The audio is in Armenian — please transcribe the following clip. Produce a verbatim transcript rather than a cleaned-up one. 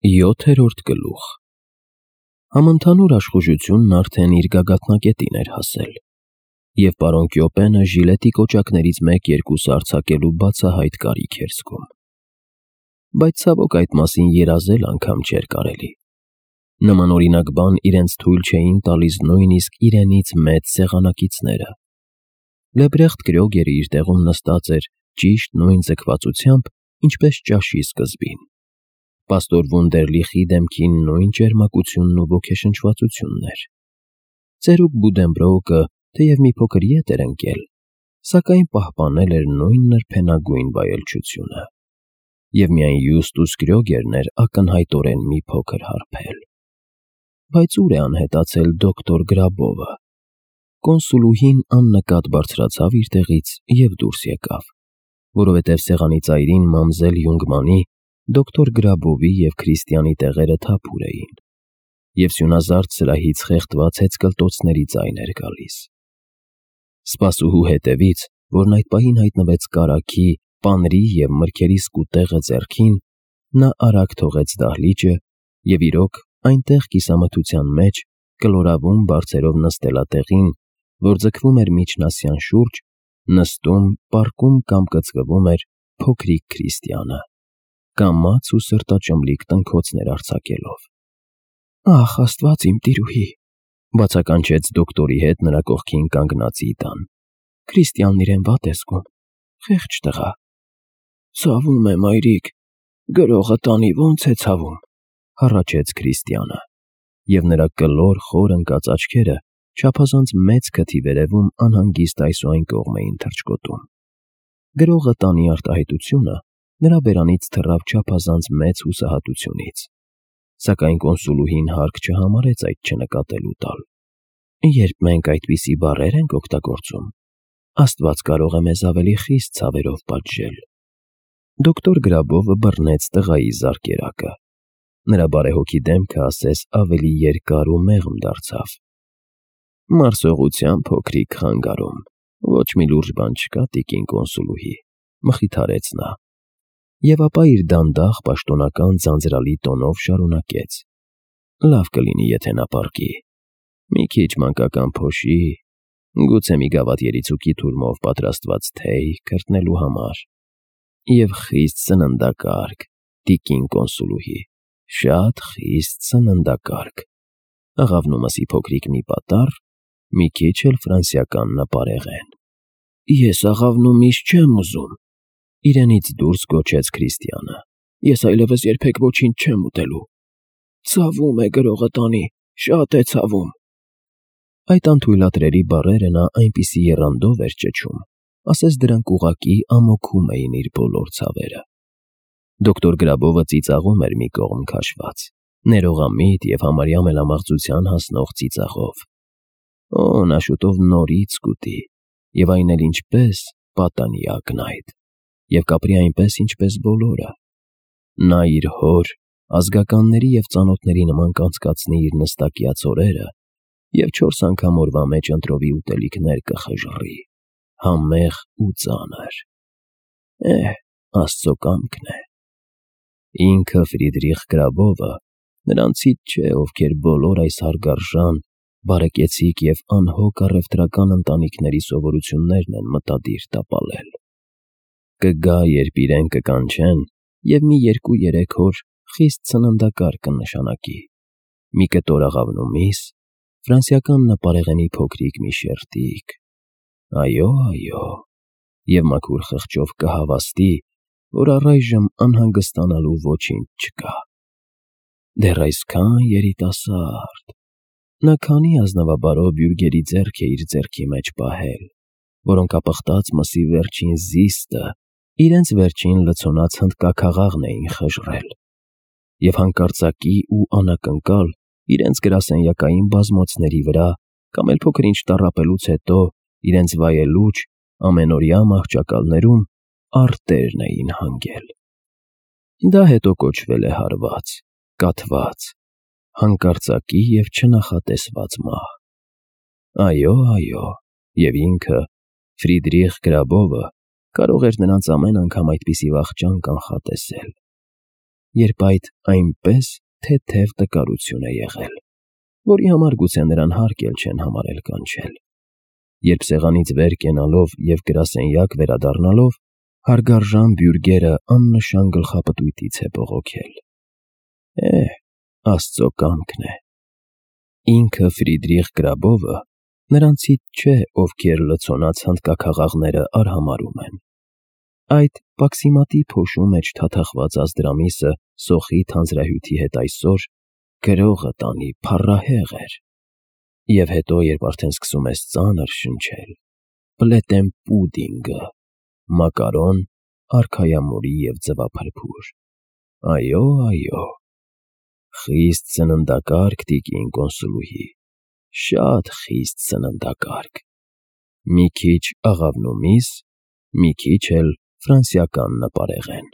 Յոթերորդ գլուխ Համընդհանուր աշխուժությունն արդեն իր գագաթնակետին էր հասել, և պարոն Կյոպենը ժիլետի կոճակներից մեկ-երկուսը արձակելու բացահայտ կարիք էր զգում։ Բայց ցավոք այդ մասին երազել անգամ չէր կարելի։ Նմանօրինակ բան իրենց թույլ չէին տալիս նույնիսկ իրենից մեծ սեղանակիցները։ Լեբրեխտ Կրյոգերը իր տեղում նստած էր ճիշտ նույն ձգվածությամբ, ինչպես ճաշի սկզբին։ Պաստոր Վունդերլիխի դեմքին նույն ճերմակությունն ու ոգեշնչվածությունն էր։ Ծերուկ Բուդենբրոուկը թեև մի փոքր ետ էր ընկել, սակայն պահպանել էր նույն նրբենագույն վայելչությունը, և միայն Յուստուս Կրյոգերն էր ակնհայտորեն մի փոքր հարբել։ Բայց ուր է անհետացել դոկտոր Գրաբովը։ Կոնսուլուհին աննկատ բարձրացավ իր տեղից և դուրս եկավ, որովհետև սեղանի ծայրին մամզել Յունգմանի, դոկտոր Գրաբովի և Քրիստիանի տեղերը թափուր էին, և սյունազարդ սրահից խեղդված հեծկլտոցների ձայն էր գալիս։ Սպասուհու հետևից, որն այդ պահին հայտնվեց կարագի, պանրի և մրգերի սկուտեղը ձեռքին, նա արագ թողեց դահլիճը և իրոք այնտեղ կիսամթության մեջ, կլորավուն բարձերով նստելատեղին, որ ձգվում էր միջնասյան շուրջ, նստում, պառկում կամ կծկվում էր փոքրիկ Քրիստիանը, կամաց ու սրտաճմլիկ տնքոցներ արձակելով։ «Ախ, Աստված իմ տիրուհի», բացականչեց դոկտորի հետ նրա կողքին կանգնածի տան։ «Քրիստիանն իրեն վատ է զգում, խեղճ տղա»։ «Ցավում է, մայրիկ, գրողը տանի ո՞նց է ցավում», հառաչեց Քրիստիանը, և նրա կլոր, խոր ընկած աչքերը չափազանց մեծ քթի վերևում անհանգիստ այս ու այն կողմ էին թռչկոտում։ «Գրողը տանի» արտահայտությունը նրա բերանից թռավ չափազանց մեծ հուսահատությունից, սակայն կոնսուլուհին հարկ չհամարեց այդ չնկատելու տալ։ «Երբ մենք այդպիսի բառեր ենք օգտագործում, Աստված կարող է մեզ ավելի խիստ ցավերով պատժել»։ Դոկտոր Գրաբովը բռնեց տղայի զարկերակը։ Նրա բարեհոգի դեմքը ասես ավելի երկար ու մեղմ դարձավ։ «Մարսողության փոքրիկ խանգարում, ոչ մի լուրջ բան չկա, տիկին կոնսուլուհի», մխիթարեց նա, և ապա իր դանդաղ, պաշտոնական ձանձրալի տոնով շարունակեց. «Լավ կլինի, եթե նա պառկի, մի քիչ մանկական փոշի, գուցե մի գավաթ երիցուկի թուրմով պատրաստված թեյ քրտնելու համար, և խիստ սննդակարգ, տիկին կոնսուլուհի, շատ խիստ սննդակարգ, աղավնու մսի փոքրիկ մի պատառ, մի քիչ էլ ֆրանսիական նպարեղեն»։ «Ես աղավնու միս չեմ ուզում», իրենից դուրս գոչեց Քրիստիանը։ «Ես այլևս երբեք ոչինչ չեմ ուտելու։ Ցավում է, գրողը տանի, շատ է ցավում»։ Այդ անթույլատրելի բառերը նա այնպիսի եռանդով էր ճչում, ասես դրանք ուղղակի ամոքում էին իր բոլոր ցավերը։ Դոկտոր Գրաբովը ծիծաղում էր մի կողմ քաշված, ներողամիտ և համարյա մելամաղձության հասնող ծիծաղով։ Օ, նա շուտով նորից կուտի, և այն էլ ինչպես, պատանի ակնայդ, և կապրի այնպես, ինչպես բոլորը։ Նա իր հոր, ազգականների և ծանոթների նման կանցկացնի իր նստակյաց օրերը և չորս անգամ օրվա մեջ ընտրովի ուտելիքներ կխժռի, համեղ ու ծանր։ Էհ, Աստծո կամքն է։ Ինքը Ֆրիդրիխ Գրաբովը նրանցից չէ, ովքեր բոլոր այս հարգարժան, բարեկեցիկ և անհոգ առևտրական ընտանիքների սովորություններն են մտադիր տապալել։ Կգա, երբ իրեն կկանչեն և մի երկու֊երեք օր խիստ սննդակարգ կնշանակի, մի կտոր աղավնու միս, ֆրանսիական նպարեղենի փոքրիկ մի շերտիկ, այո, այո, և մաքուր խղճով կհավաստի, որ առայժմ անհանգստանալու ոչինչ չկա։ Դեռ այսքան երիտասարդ… Նա քանի ազնվաբարո բյուրգերի ձեռք է իր ձեռքի մեջ պահել, որոնք ապխտած մսի վերջին զիստը, իրենց վերջին լցոնած հնդկաքաղաղն էին խժռել, և հանկարծակի ու անակնկալ իրենց գրասենյակային բազմոցների վրա կամ էլ փոքր-ինչ տառապելուց հետո իրենց վայելուչ, ամենօրյա մահճակալներում արտերն էին հանգել։ Դա հետո կոչվել է հարված, կաթված, հանկարծակի և չնախատեսված մահ։ Այո, այո, և ինքը, Ֆրիդրիխ Գրաբովը, կարող էր նրանց ամեն անգամ այդպիսի վախճան կանխատեսել։ երբ այդ այնպես թեթև տկարություն է եղել, որի համար գուցե նրան հարկ էլ չեն համարել կանչել, երբ սեղանից վեր կենալով և գրասենյակ վերադառնալով հարգարժան բյուրգերը աննշան գլխապտույտից է բողոքել։ Է՛հ, Աստծո կամքն է։ Ինքը Ֆրիդրիխ Գրաբովը նրանցից չէ, ովքեր լցոնած հնդկաքաղաղները արհամարհում են։ Այդ պաքսիմատի փոշու մեջ թաթախված Ազդրամիսը սոխի թանձրահյութի հետ այսօր գրողը տանի փառահեղ էր։ Եվ հետո, երբ արդեն սկսում ես ծանր շնչել, պլետեն֊պուդինգը, մակարոն, արքայամորի և ձվափրփուր։ Այո, այո, խիստ սննդակարգ, տիկին կոնսուլուհի, շատ խիստ սննդակարգ, մի քիչ աղավնու միս, մի քիչ էլ ֆրանսիական նպարեղեն։